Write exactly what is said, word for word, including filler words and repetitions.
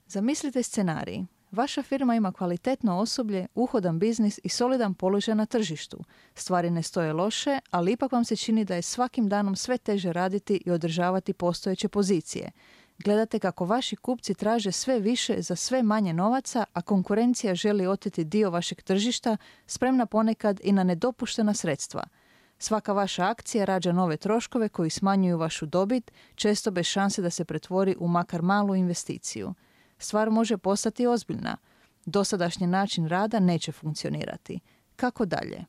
Zamislite scenarij. Vaša firma ima kvalitetno osoblje, uhodan biznis i solidan položaj na tržištu. Stvari ne stoje loše, ali ipak vam se čini da je svakim danom sve teže raditi i održavati postojeće pozicije. Gledate kako vaši kupci traže sve više za sve manje novaca, a konkurencija želi oteti dio vašeg tržišta, spremna ponekad i na nedopuštena sredstva. Svaka vaša akcija rađa nove troškove koji smanjuju vašu dobit, često bez šanse da se pretvori u makar malu investiciju. Stvar može postati ozbiljna. Dosadašnji način rada neće funkcionirati. Kako dalje?